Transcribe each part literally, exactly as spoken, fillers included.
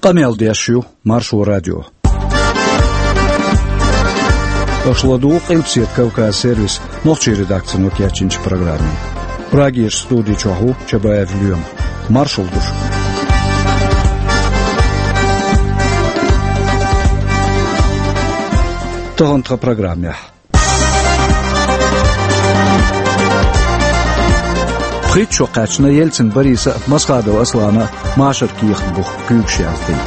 Къамел деш ю Маршо радио. Аша ладугӀу Къилбаседа Кавказ сервисан нохчийн редакцино кечйинчу программе. Прагерчу студи чохь ву Чабаев Лоьма. Маршалла ду шуьга. Тахана тхан программехь. Пхийтта шо кхаьчна Ельцин Бориса а, Масхадов Аслана а машар кехат бух куьйгаш яздина.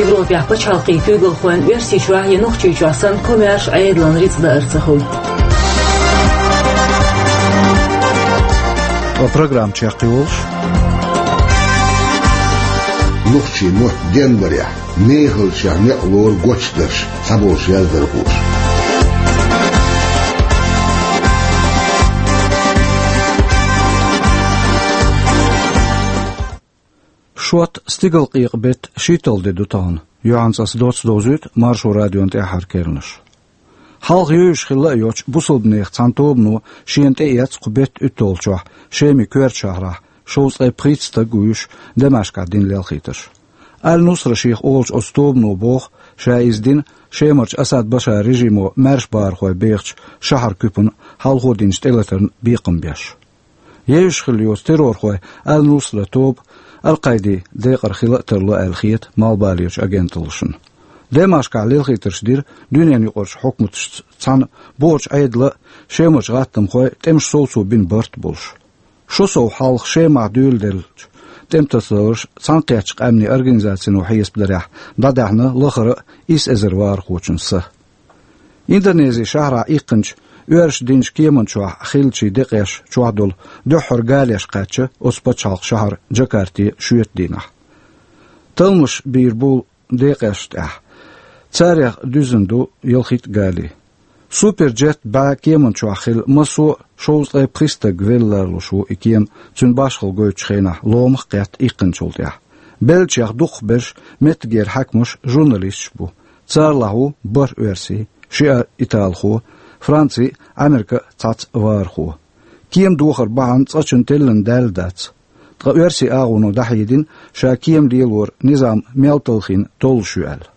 Европехь пачхьалкхийн куьйгалхойн Оьрсийчохь я Нохчийчохь санна комаьрша Ӏедалан рицкъ даар ца хуьлу. Ткъа программа чекхйолуш. Нохчийн мотт денбарехь, мехалчех некъ лору гочдарш, цхьаболуш яздархоша. Шот, стигалкъекъа беттан шийтталгӀа де ду тахана. Юьхьанца аса доцца довзуьйту Маршо радион тӀаьххьара керланаш. Хьалха евзаш хилла а йоцчу бусалбанех цхьана тобано шена тӀеэцна кху беттан уьтталгӀачохь Шеман коьртачу шахьарахь шовзткъе пхийтта стаг вуьйш Дамаскехь дина лелхийтарш. Аль-Нусра шех олучу оцу тобано боху, ша иза дина Шемарчу Асад Башар режимо маьрша бахархой бехачу шахьаран куьпана хьалхо динчу тӀелатарна бекхам беш. Евзаш хилла йоцу террорхойн Аль-Нусра тоба Аль-Къаиди декъара хила а тарло аьлла хета малхбалерчу агенталлашна. Дамаскехь лелхийтарш дира дуьненан юкъарчу хьукматашца цхьаьна бохучу Ӏедалан а, Шемарчу гӀаттамхойн а тӀемаш совцо бина барт а болуш. Шо сов хьалха Шемахь дуьйладеллачу тӀематасадаларш Цхьаьнакхеттачу Къаьмнийн Организацино хьесапдарехь, дӀадаьхьна лахара а исс эзар вахархочун са. Индонезин шахьарахь иккхинчу оьрсаша динчу кеман чохь хиллачийн декъеш чохь долу дуьххьара галеш кхаьчна оцу пачхьалкхан шахьар Джакарте шоьтан дийнахь. Талламаш бийр бу декъешна тӀехь. Царех дуьззина ду ялхитта гали. Суперджет бӀе кеман чохь хилла массо а шовзткъе пхи стаг велла лоруш ву и кема, цуьнан башхалла гойтучу хенахь ломах а кхетта иккхинчул тӀаьхьа. Беллачех дукхахберш меттигера хьаькамаш, журналисташ бу. Царалахь ву бархӀ оьрси, шиъ италхо, Франци а, Ӏамерка а цхьацца вахархо. Кема дохар бахьана цкъачунна теллина даьлла дац. Ткъа оьрсийн агӀоно дӀахьедина, ша кема лелоран низам мел талхийна толлуш ю аьлла.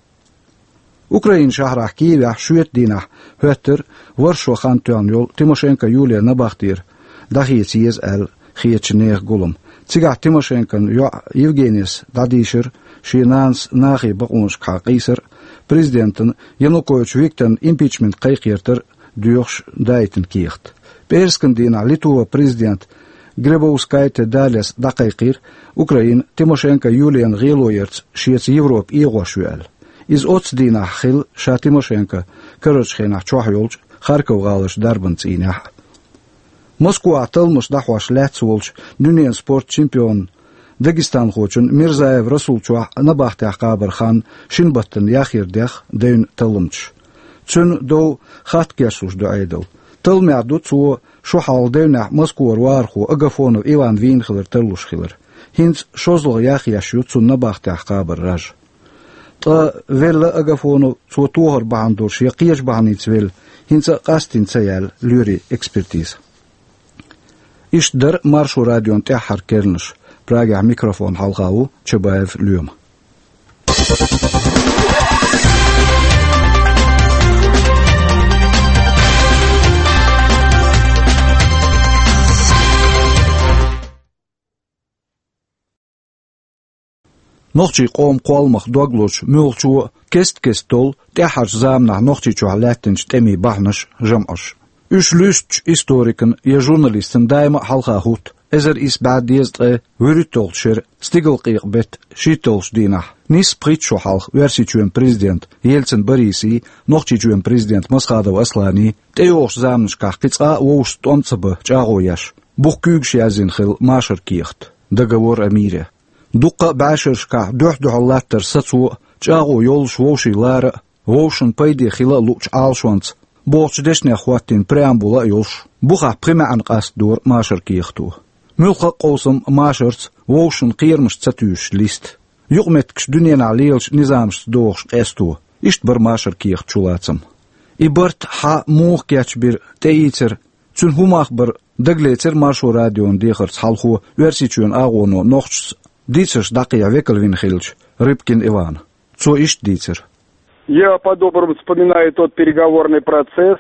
Украинан шахьарахь Киевехь шоьтан дийнахь хӀоьттира ворхӀ шо хан тоьхна йолу Тимошенко Юлиян набахтера дӀахеца еза аьлла хетачу нехан гулам. Цигахь Тимошенкон йоӀ Евгенис дӀадийшира шен нанас нахе бакъонашкахьа къийсар а, президентан Янукович Викторан импичмент кхайкхетар а доьхуш даийтина кехат. ПӀераскан дийнахь Литван президента Грибаускайте Далияс дӀакхайкхийра Украина Тимошенко Юлиян гӀело ярца шеца Европа эгӀош ю аьлла. Иза оццу дийнахь хилла ша Тимошенко карарчу хенахь чохь йолчу Харьков гӀаларчу дарбан цӀийнехь а. Москвахь талламаш дӀахьош лаьцна волчу дуьненан спорт чемпионан, дагестанхочун Мирзаев Расулан чохь набахтехь кхабаран хан шина баттана яхъяр дехна девнна талламчаша. Цуьнан дов хатта кечлуш ду Ӏедал. Талламехь ду цо шо хьалха девнехь Москвара вахархо Агафонов Иван вийна хилар тарлуш хилар. ХӀинца шозлагӀа яхъеш ю цунна набахтехь кхабаран раж. Ткъа велла Агафонов, цо тохар бахьана долуш я кхечу бахьаница велла, хӀинца а къастийна ца яьлла лоьрийн экспертиза. Иштта дара Маршо радион тӀаьххьара керланаш. Прагехь микрофон хьалха ву Чабаев Лоьма. Нохчийн къоман кхолламах дог лозучу муьлххачо а кест-кеста толлу тӀаьххьарчу заманахь Нохчийчохь лаьттинчу тӀемийн бахьанаш а, жамӀаш а. Уьш луьстучу историкана я журналистана даима а хьалха хӀутту эзар исс бӀе дезткъе вуьрхӀитталгӀачу шеран стигалкъекъа беттан шийтталгӀачу дийнахь, нийсса пхийтта шо хьалха Оьрсийчоьнан президента Ельцин Борисий, Нохчийчоьнан президента Масхадов Асланий тӀейогӀучу заманашкахь кхин цкъа а вовшашца тӀом ца бан чӀагӀо еш, бух куьйгаш яздина хилла машар кехат, договор о мире. Дуккха а бӀешерашкахь дуьхь-дуьхьал латтар сацо а, чӀагӀо йоллуш вовшийн лара а, вовшашна пайде хила а луучу Ӏалашонца бохучу дешнех хӀоттийна преамбула а йолуш, бухахь пхи маьӀна къастадора машар кехато. Муьлхха а къовсам машарца, вовшашна кхерамаш ца туьйсуш листа. Юкъаметтигаш дуьненахь лелачу низамашца дохуш къесто. Иштта бара машар кехат чулацам. И барт хьан муха кечбира, тӀеийцира, цуьнан хӀун мах бара, дагалецира Маршо радион дехарца хьалхо Оьрсийчоьнан агӀоно нохчашца Дийцарш дӀакхехьа векал вина хилча Рыбкин Ивана. Цо иштта дийцар. Я по-доброму вспоминаю тот переговорный процесс.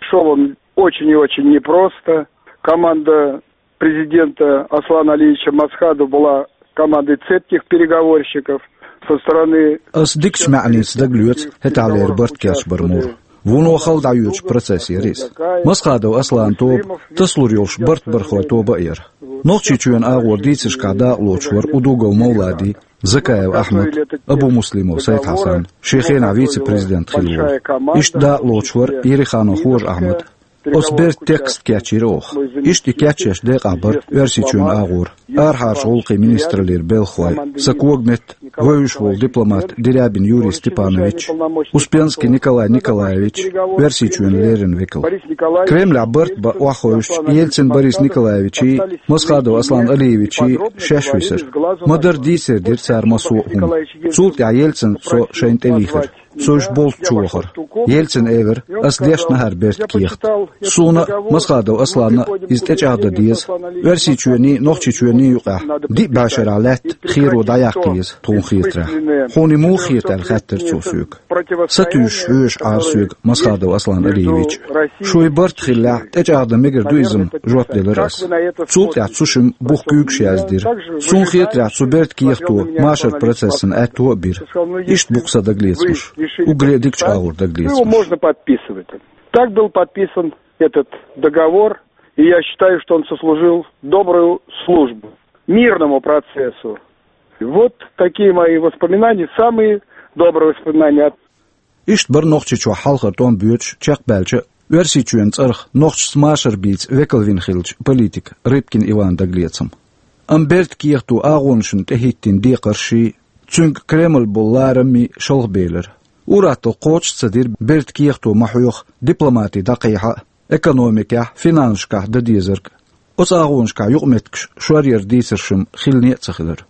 Шёл он очень и очень непросто. Команда президента Аслана Алиевича Масхадова была командой цепких переговорщиков со стороны... Ас дикача маьӀница дагалоьцу хӀетахьлера барт кечбар мур. Вуно хала дӀайоьдучу процесс яра иза. Масхадов Аслана тоба тасалур йолуш барт бархойн тоба а яра. Нохчийчоьнан агӀор дийцаршкахь дакъалоцуш вара Удугов Мовлади, Закаев Ахьмад, Абумуслимов Сайд-Хьасан, шен хенахь вице-президент хилла волу. Иштта дакъалоцуш вара Ереханов Хожа-Ахьмад. Оцу бертан текст кечйира оха. Иштта и кечъеш декъахь бара Оьрсийчоьнан агӀора арахьарчу гӀуллакхийн министраллера белхахой, сан когаметта вевзаш волу дипломат Дерябин Юрий Степанович, Успенский Николай Николаевич, Оьрсийчоьнан леррина векал. Кремлехь барт бан охьахевшича, Ельцин Борис Николаевичий, Масхадов Аслан Алиевичий шаьш висира. Ма-дарра дийцаре дира цара массо а хӀума. Цул тӀаьхьа Ельцина со шайна тӀе вийхира. Со уьш болчу чу вахара. Ельцина элира: «Ас дешна хӀара бертан кехат. Суна а, Масхадов Асланна а иза тӀечӀагӀдан деза. Оьрсийчоьнний, Нохчийчоьнний юкъахь диъ бӀешарахь лаьтта херо дӀаяккха еза, тхуна хетарехь. Хьуна и муха хета?» — аьлла хаьттира цо соьга. Сатуьйсуш хьоьжуш Ӏара соьга Масхадов Аслан Алиевич. «Шуьйра барт хиллехь, тӀечӀагӀдан мегар ду иза-м», — жоп делира ас. Цул тӀаьхьа цу шимма бух куьйгаш яздира. Суна хетарехь, цу бертан кехато машаран процессан аьтто а бира. Иштта бу-кх сан дагалецамаш. Уггаре а дикачу агӀор дагалецамаш. Его можно подписывать. Так был подписан этот договор, и я считаю, что он сослужил добрую службу мирному процессу. Вот такие мои воспоминания, самые добрые воспоминания. Иштта бара Нохчийчохь хьалхара тӀом боьдуш чекхбаьлча а, Оьрсийчоьнан цӀарах нохчашца машар бийца векал вина хиллачу политикан Рыбкин Иванан дагалецам. Амма бертан кехато агӀонашна тӀехӀиттина декхарший, цуьнга Кремль болу лараммий шалхабелира. Ур-атталла кхочуш а ца дира бертан кехато ма-хьоьхху дипломати дӀакхехьа а, экономикехь, финансашкахь дан дезарг а. Оцу агӀонашкахь юкъаметтигаш шоръяр дийцарш-м хилине а ца хилира.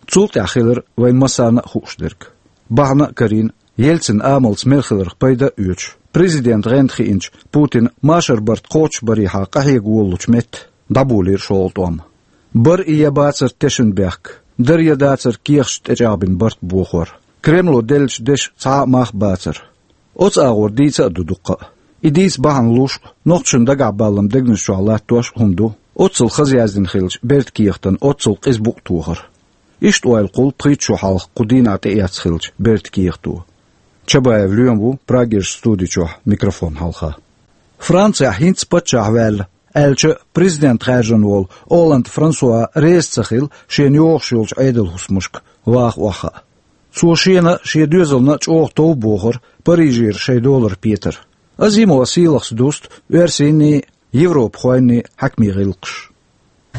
Цул тӀаьхьа хилира вайн массарна а хууш дерг. Бахьана а карийна, Ельцинан амалца мел хиларх пайда а оьцуш, президентан гӀанта хиъначу Путина машаран барт кхочушбарехьа къахьега волалучу метта дӀаболийра шолгӀа тӀом. Бара и я бацара тешнабехк, дара я дацара кехаташ тӀечӀагӀбина барт бохор. Кремло деллачу дешан цхьа а мах бацара. Оцу агӀор дийца а ду дуккха а. И дийца бахьана луш а, нохчашна дагахь баллам дегнаш чохь латтош а хӀума ду оццул хаза яздина хиллачу бертан кехатан оццул къиза букъ тохар. Иштта ойла кхуллу пхийтта шо хьалха кху дийнахь тӀеэцна хиллачу бертан кехато. Чабаев Лоьма ву Прагерчу студи чохь микрофон хьалха. Францехь хӀинца паччахь ваьлла аьлча, президент хаьржина волу Олланд Франсуа реза ца хилла шена йогӀуш йолчу Ӏедалан хӀусамашка ваха охьахаа. Цо шена а, шен доьзална а чӀогӀа тов бохура Парижера шайн долара петар. Азимова Сийлахьс дуста оьрсийнний, европахойнний хьаькамийн гӀиллакхаш.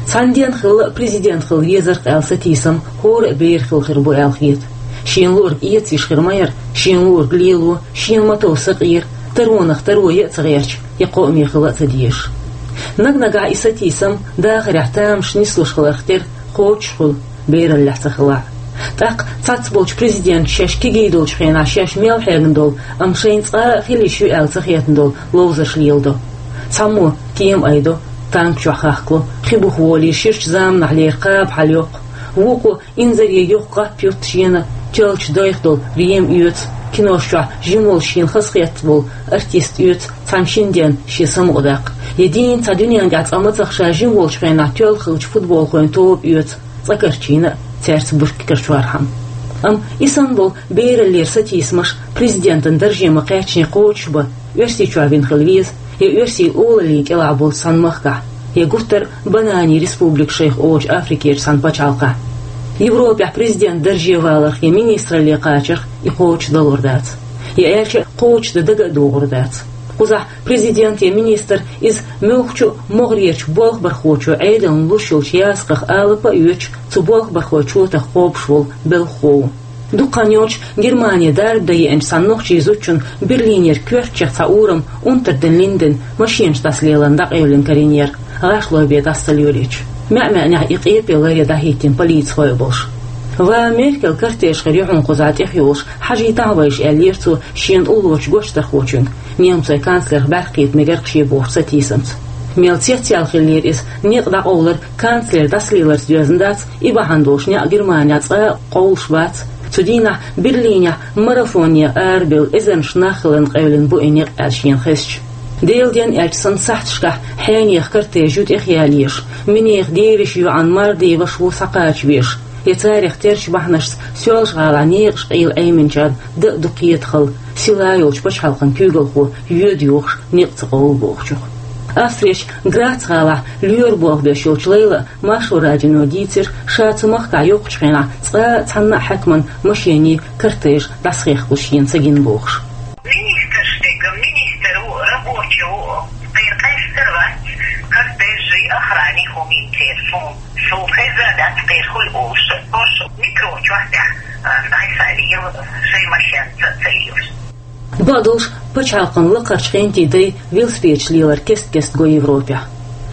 Цхьана ден хилла президент хила везарх аьлла сатийсам хӀора а бер хила хир бу аьлла хета. Шена луург эца йиш хир ма яра, шена луург лело, шена ма-тов сакъера, таронах таро ян а ца гӀерташ, я кхоаме хила а ца дезаш. Наг-нагахь и сатийсам дахарехь тамаш нислуш хиларх тера кхочуш хуьлу, бераллехь ца хилахь. ТӀаккха цхьацболчу президенташа шаьш кегий долчу хенахь шаьш мел хьегна долу, амма шайна цкъа а хила йиш ю аьлла ца хетна долу ловзарш леладо. Цхьаммо кема айдо, танк чохь хахкало, хи буха волий, ширачу заманахьлера кхаба хьаляйо. Вукхо инзаре йоккха гӀап ютту шена, тоьллачу дайх долу рема оьцу, кинош чохь жима волуш шена хазахетта волу артист оьцу цхьана шина денна шен самукъадаккха. Я дийна цхьа дуьненна тӀехь цкъа мацах ша жима волчу хенахь тоьлла хиллачу футболхойн тоба оьцу, цкъа карчийна а цаьрца буртигара чорхьама. Амма и санна болу бераллера сатийсамаш президентан дарже ма-кхаьччине кхочушбан Оьрсийчохь вина хила веза, я оьрсийн олаллин кӀелахь болчу цхьана махкахь, я гуттар а бананийн республика шайх олучу Африкерчу цхьана пачхьалкхехь. Европехь президентан дарже валарх я министралле кхачарх и кхочуш далур дац. Я аьлча, кхочушдан дага а догӀур дац. Кхузахь президент я министр иза муьлххачу а могӀарерчу болхабархочо Ӏедална луш йолчу ясакхах алапа а оьцуш, цу болхабархойн чотах кхобуш волу белхахо ву. Дукха хан йоцуш Германе дарба дан еанчу цхьана нохчийн зудчунна Берлинера коьртачех цхьа урам Унтерден Линден машенаш дӀасалеларна дӀакъевлина карийнера, гӀашлой бен дӀасалелийча. МаьӀ-маьӀнехь и къепе ларъян дӀахӀиттина полицихой а болуш. «Ва Меркел, кортеж хир ю хьуна кхузахь тӀехйолуш, хьажийтахьа вайша», — аьллера цо шена уллорчу гочдархочуьнга, немцойн канцлерх бӀаьркхета мегарх шен бохучу сатийсамца. Мел цецъял хиллера иза, некъ дӀакъовлар канцлер дӀасалеларца доьзна дац, и бахьана долуш некъ Германехь цкъа а кховлуш бац. Цу дийнахь Берлинехь марафоне арабевлла эзарнаш нах хиларна къевлина бу и некъ аьлла шена хезча. Делан денна аьлча санна сахьташкахь хьенехан кортеж ю тӀехъяллеш, минехан девешан йоӀана мардий ваша ву схьакхача везаш. Я царах терчу бахьанашца Соьлжа-ГӀалахь некъаш къийла Ӏеминчарна дан а ду кхетахалла, сила йолчу пачхьалкхан куьйгалхо йоьду йохуш некъ ца къовлу бохучух. Австрерчу Грац-гӀалахь лоьра болх беш йолчу Лайлас Маршо радионе дийцира, ша цу махкахь йоккхучу хенахь цкъа а цхьанна а хьаькаман машенийн кортеж дӀасахехкалуш шена ца гина бохуш. Министраш дерг, министр ву, рабочий ву, кхера къаьстар вац, кортежий, охрани хӀумин церан суна. Шу хеза дац кхера хуьлу олуш. Ош метро чохь тӀехь, а, дӀасалийла, шайн машенца ца лелаш. Бакъдолуш, пачхьалкхан лакхарчу хентий дай велосипедаш лелар кест-кеста го Европехь.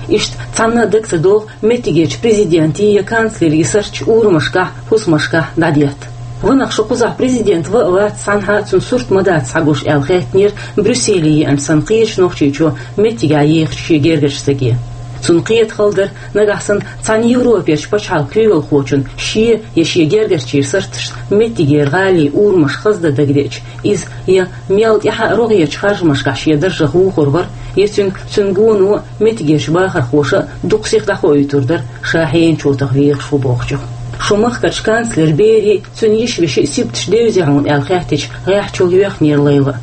Иштта цхьанна а дага ца догӀу меттигерчу президентийн я канцлерийн сурташ урамашкахь, хӀусамашкахь дӀадетта. Ванах шу кхузахь президент ва а вац, цхьанхьа а цуьнан сурт ма дац схьагуш аьлла хаьттинера Брюсселе еанчу санна кхечу нохчичо меттигехь ехачу шен гергарчу стаге. Цунна кхетахалла дара, нагахь санна цхьана Европерчу пачхьалкхан куьйгалхочунна шен я шен гергарчийн сурташца меттигера гӀалин урамаш хаздан дагадеъча, иза я мел тӀаьхьа а рогӀерчу харжамашкахь шен даржах вухур вара, я цуьнга цуьнан гоно а, меттигерчу бахархоша а дукха сиха дӀахоуьйтур дара, ша хьенан чотах вехаш ву бохучух. Шун махкарчу канцлеран берийн, цуьнан йиша-вешин сибаташ девзий хьуна аьлла хаьттича, гӀеххьачул йоьхнера Лайла.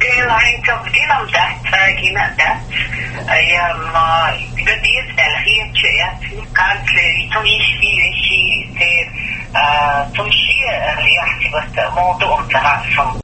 Делахь хӀинца динам дац, цӀа гина а дац, я, м, дан деза аьлла хеташ а яц, канцлерийн, цуьнан йишин, вешин, церан, а, цунна шен, а, яхьтибатта муха ду-м ца хаьа суна.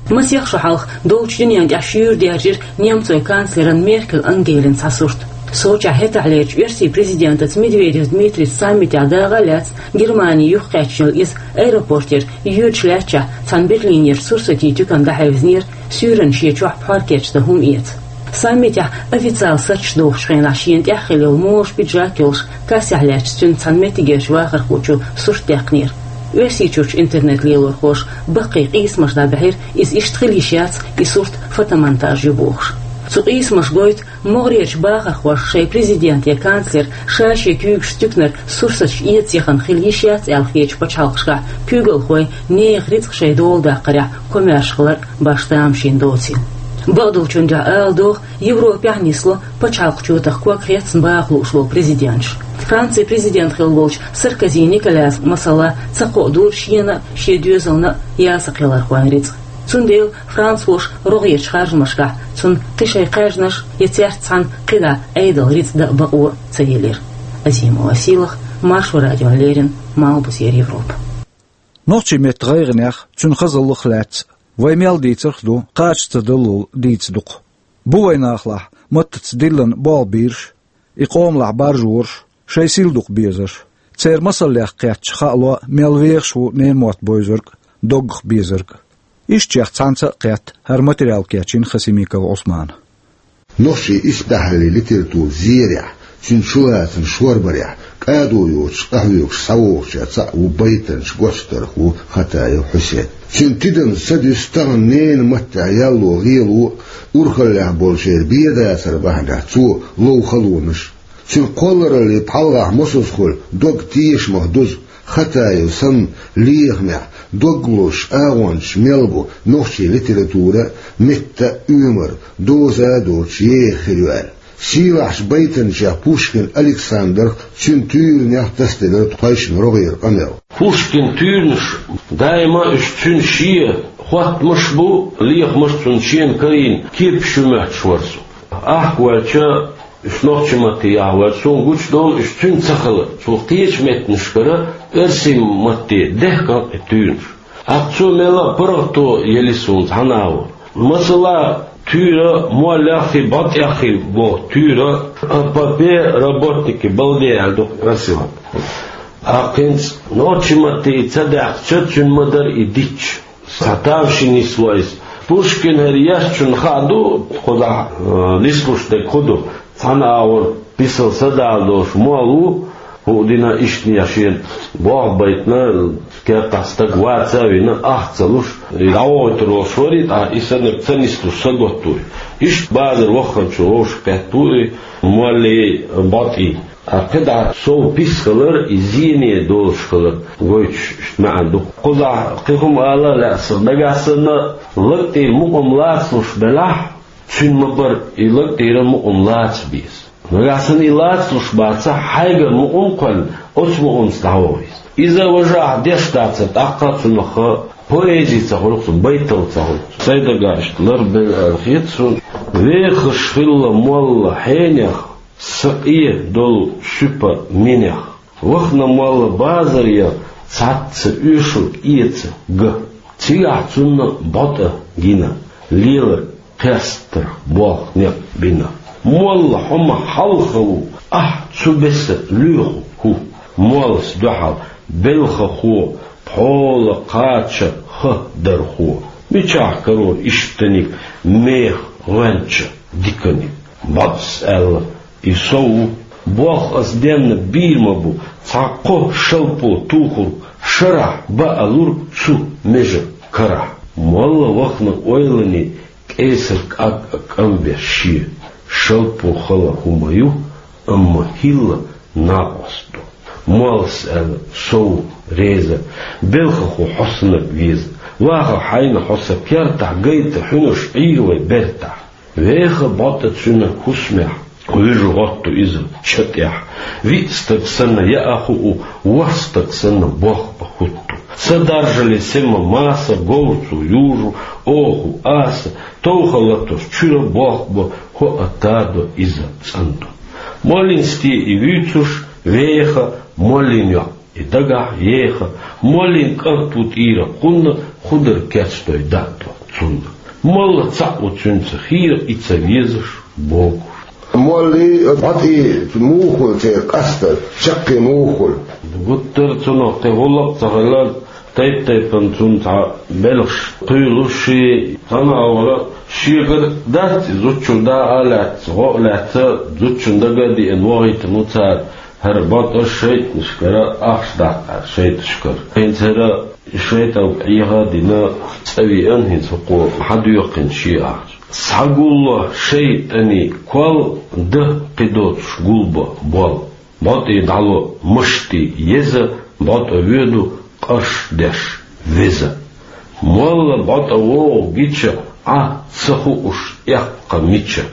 Масех шо хьалха долчу дуьнен тӀехь шуьйра даьржира немцойн канцлеран Меркель Ангелин цхьа сурт. Сочехь хӀетахьлерчу оьрсийн президентаца Медведев Дмитрийца саммитехь дагӀа а лаьцна, Германи юхакхаьчна йолу иза аэропортера йоьдуш лаьттачохь цхьана Берлинерчу сурсатийн туькана дӀахьевзинера, суьйранна шен чохь пхьор кечдан хӀума эца. Саммитехь официалан сурташ дохучу хенахь шена тӀехь хилла йолу могӀарш пиджак йолуш, кассехь лаьттачу цуьнан цхьана меттигерчу вахархочо сурт даьккхинера. Оьрсийчуьрчу интернет-лелорхоша баккхий къийсамаш дӀабаьхьира, иза иштта хила йиш яц, и сурт фотомонтаж ю бохуш. Цу къийсамаша гойту, могӀарерчу бахархоша шайн президент я канцлер ша шен куьйгашца туьканара сурсаташ эца яхана хила йиш яц аьлла хетачу пачхьалкхашкахь куьйгалхой нехан рицкъ шайн дола даккхарехь комаьрша хилар а башха тамашийна доцийла. Бакъдолчун дуьхьа ала догӀу, Европехь а нисло пачхьалкхан чотах ког хецна баха лууш волу президенташ. Францин президент хилла волчу Саркози Николяс, масала, ца кхоадора шена а, шен доьзална а ялсакхелархойн рицкъ. Цундела францхоша рогӀерчу харжамашкахь цунна кхин шайн кхаьжнаш я цаьрца цхьаьна кхидӀа Ӏедалан рицкъ дан а бакъо ца елира. Азима Василах, Маршо радиона леррина, Малхбузера Европа. Нохчийн меттан гӀайгӀанех, цуьнан хазаллах лаьцна вай мел дийцарх а ду, кхача ца даллал дийца дукха. Бу вайн нахалахь маттаца диллина болх бийраш, и къомалахь баржораш, шайн сил дукха безарш. Церан масаллех кхетча хаало мел вехаш ву ненан мотт бевзарг а, доггах безарг а. Ишттачех цхьаьнца а кхетта, хӀара материал кечйина Хасимиков Ӏусмана. Нохчийн исбаьхьаллин литературан зерехь, цуьнан чулацам шорбарехь кӀадо йоцуш къахьоьгуш схьавогӀучех цхьаъ ву байтанча гочдархо Хатаев Хьусен. Цуьнан тидамна са дуьсу тахана ненан маттехь ялло гӀело а, урхаллехь болчеран бен дацар бахьанехь цо лов халонаш а. Цуьнан кхоллараллин пхьалгӀахь мосазза хуьлу дог тешамах дузу Хатаев санна лехамехь дог лозуш агӀончаш мел бу нохчийн литература а, метта а, оьмар а доза а доцуш еха хир ю аьлла. Сийлахьчу байтанчех Пушкин Александрах, цуьнан туьйранех тасаделира тхойшинна рогӀера къамел. Пушкинан туьйранаш даима уьш цуьнан шен хоттамаш а бу, лехамаш а цунна шена карийна кепаш ю моьттуш вара со. Ахка ваьлча, уьш нохчийн матте яхьа ваьлча, суна гучудолу уьш цуьнан ца хилар. Цо кхечу меттанашкара оьрсийн матте дехкина и туьйранаш. ТӀаккха цо мелла а паргӀато елира суна цхьана агӀор. Масала, туьйра моллеххий, бӀотӀеххий боху туьйра, «О попе работника балды» аьлла ду оьрсийн маттахь. ТӀаккха хӀинца нохчийн матте и ца даьккхича, цуьнан ма дара и дитча. Цхьа тавший нисло иза. Пушкин хӀара ешначунна хаа ду, кхузахь, э, нислуш дерг хӀун ду. Цхьана агӀор бисал садала долуш молла ву, ХӀуъ дина иштта шен болх байтина, керта стаг ваца а вина, ах ца луш, дӀавохуьйтур волуш вара, тӀаккха и саннарг ца нислуш саготта ву. Иштта базар вахханчо вовшах кхетта ву и моллий, БӀотӀий. Ткъа кхидӀа сов пис хилар, и зене долуш хилар гойтуш иштта маьӀна ду. Кхузахь кхин хӀума ала а лаьа сан, нагахь санна лаг тӀера мукъам лацалуш белахь, цуьнан ма-барра и лаг тӀера мукъам лаца беза. Нагахь санна и лацалуш бацахь, хьайгара мукъам кхоьллина, оцу мукъамца дӀаваха веза. Иза важа ахь деш дацара, тӀаккха а цунах поэзи ца хуьлу-кх цунна, байталла ца хуьлу-кх цунна. Сайн дагахь иштта ларбелла аьлла хета суна. Вехаш хилла молла хьенех, сан къе долу суьпа минех. Вахана молла базаре, цхьацца оьшург эца ган. Цигахь цунна БӀотӀа гина, лелар кхестарх болх некъ бина. Молла, хьо ма хьалха ву, ахь цу беса лоьху хӀу. Моллас дуьхьал белхахо, пхьола кхача ха дархо. Мичахь карор иштаниг меха гӀоьнча диканиг? БӀотӀас аьлла: «И со ву. Болх ас денна бийр ма бу, цхьа кхо шалпо тухург шарахь баалур цу межа карахь». Молла вахана ойлане, кӀесар кӀаг а кӀамбеш шен. Шалпо хала хӀума ю, амма хӀилла накъост ду. Моллас аьлла: «Со ву реза, белхахо, хьо саннарг веза. Ваха хьайна хьо сан кертахь, гайта хьуьнарш Ӏийр вай бертахь». Веха БӀотӀа цуьнан хӀусамехь, вуьжу гӀотту иза ча тӀехь. Виъ стаг санна яа хуу, ворхӀ стаг санна болх бан хӀутту. Ца даржале сема маса, говр цо южу, оху аса, товха латош чуьра болх бо, хӀоа тадо иза цӀандо. Моллин сте и вуьйцуш, веха, моллин йоӀ и дагахь еха, моллин кӀант ву тӀера кхунна, худар кечдой даъ до цунна. Молла цхьаъ ву цуьнца хийра, и ца везаш богуш. Моллий, БӀотӀий муха хуьлу церан къастар, чаккхе муха хуьлу? Гуттар а цунах кхин гӀуллакх а ца хилла, тайп-тайпана цунна цхьа белхаш кхуьйлуш, шен цхьана а вара, шегара дац и, зудчун даа а лаьцна, гӀо а лаьцна, зудчун дага а деана, вохуьйтина ву цара. ХӀара БӀотӀа шайтӀанашкара ахча даккхара, шайтӀашкара. ХӀинца хӀара шайтӀанга Ӏеха а дина, цӀа веана, хӀинца хӀокхо хьадоьккхина шен ахча. Схьагулло шайтӀанийн кол, дан кхидоцуш гулбан болл. БӀотӀе дӀало машти еза, БӀотӀа воьду къарш деш веза. Молла БӀотӀа вогӀу гича, Ӏа ца хууш эккха мича.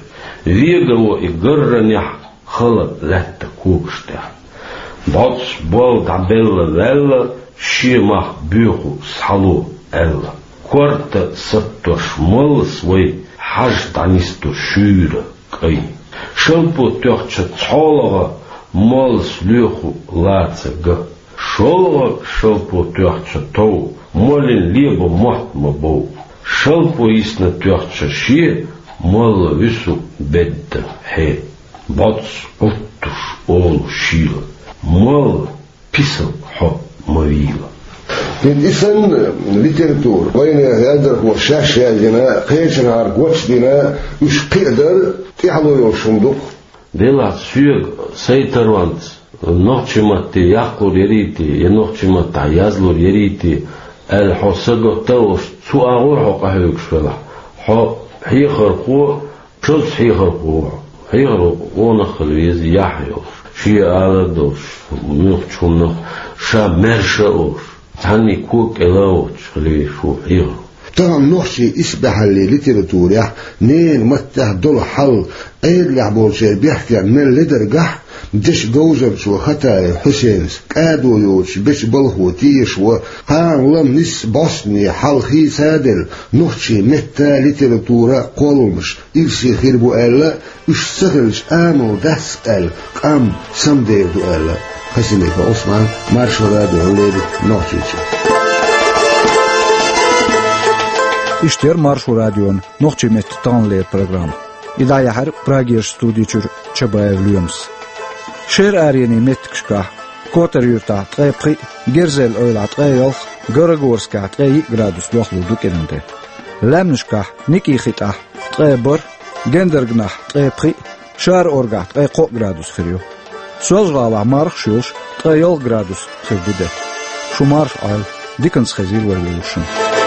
Вега во и гарранехь, хала лаьтта когаш тӀехь. БӀотӀас болл дӀабелла ваьлла, шен мах боьху схьало аьлла. Корта саттош моллас вай, хьажа дӀанисто шуьйра кӀай. Шалпо тоьхча цхьолагӀа, моллас лоьху лаца ган. ШолгӀа шалпо тоьхча тов, моллин леба мотт ма бов. Шалпо йисна тоьхча шен, молла вуьсу бедда хье. БӀотӀас Ӏуттуш олу шийла: «Молла, писал хьо ма вийла». ХӀинца и санна литература, вайнехан яздархоша шаьш яздина, кхечанхьара гочдина, уьш кхиадар тӀаьхьало йолуш хӀума ду-кх. Делахь соьга, сайн таронца, нохчийн матте яккхалур ярий те, я нохчийн маттахь язлур ярий те аьлла, хьо сагатта а волуш, цу агӀор хьо къахьоьгуш велахь, хьо хьехархо, шозза хьехархо ву хьо. Хьехархо къонах хила веза, яхь йолуш, шен алар долуш, муьлххачу хӀуманах ша маьрша а волуш, цхьанний кога кӀела а воцуш хила везаш ву хьехархо. Тахана нохчийн исбаьхьаллин литературехь ненан маттехь долу хьал, Ӏедалехь болчеран бехке мел ледаргахь, дешан говзанчо Хатаев Хьусейнас кӀадо йоцуш бечу балхо тешаш ву, кхана лама нисса бӀостанехьа хьал хийца а делла, нохчийн метта, литература, кхолламаш ирсе хир бу аьлла, уьш ца хилча, амал дац аьлла, къам самадер ду аьлла. Хасимиков Ӏусман, Маршо радиона леррина Нохчийчуьра. Иштта яра Маршо радион нохчийн меттан таханлера программа. И дӀаяьхьира Прагерчу студи чуьра Чабаев Лоьмас. Шера аренийн меттигашкахь: Котар-Юьртахь ткъе пхиъ, Герзель-Эвлахь ткъе ялх, Горогорскехь ткъе йиъ градус дохлур ду кӀиран тӀе. Лаьмнашкахь: Никин-ХитӀахь ткъе бархӀ, Гендаргнахь ткъе пхиъ, Шара-Оргахь ткъе кхоъ градус хир ю. Соьлжа-ГӀалахь мархаш йолуш ткъе ялх градус хир ду де. Шу марша Ӏойла, диканца хезийла вай вовшашна.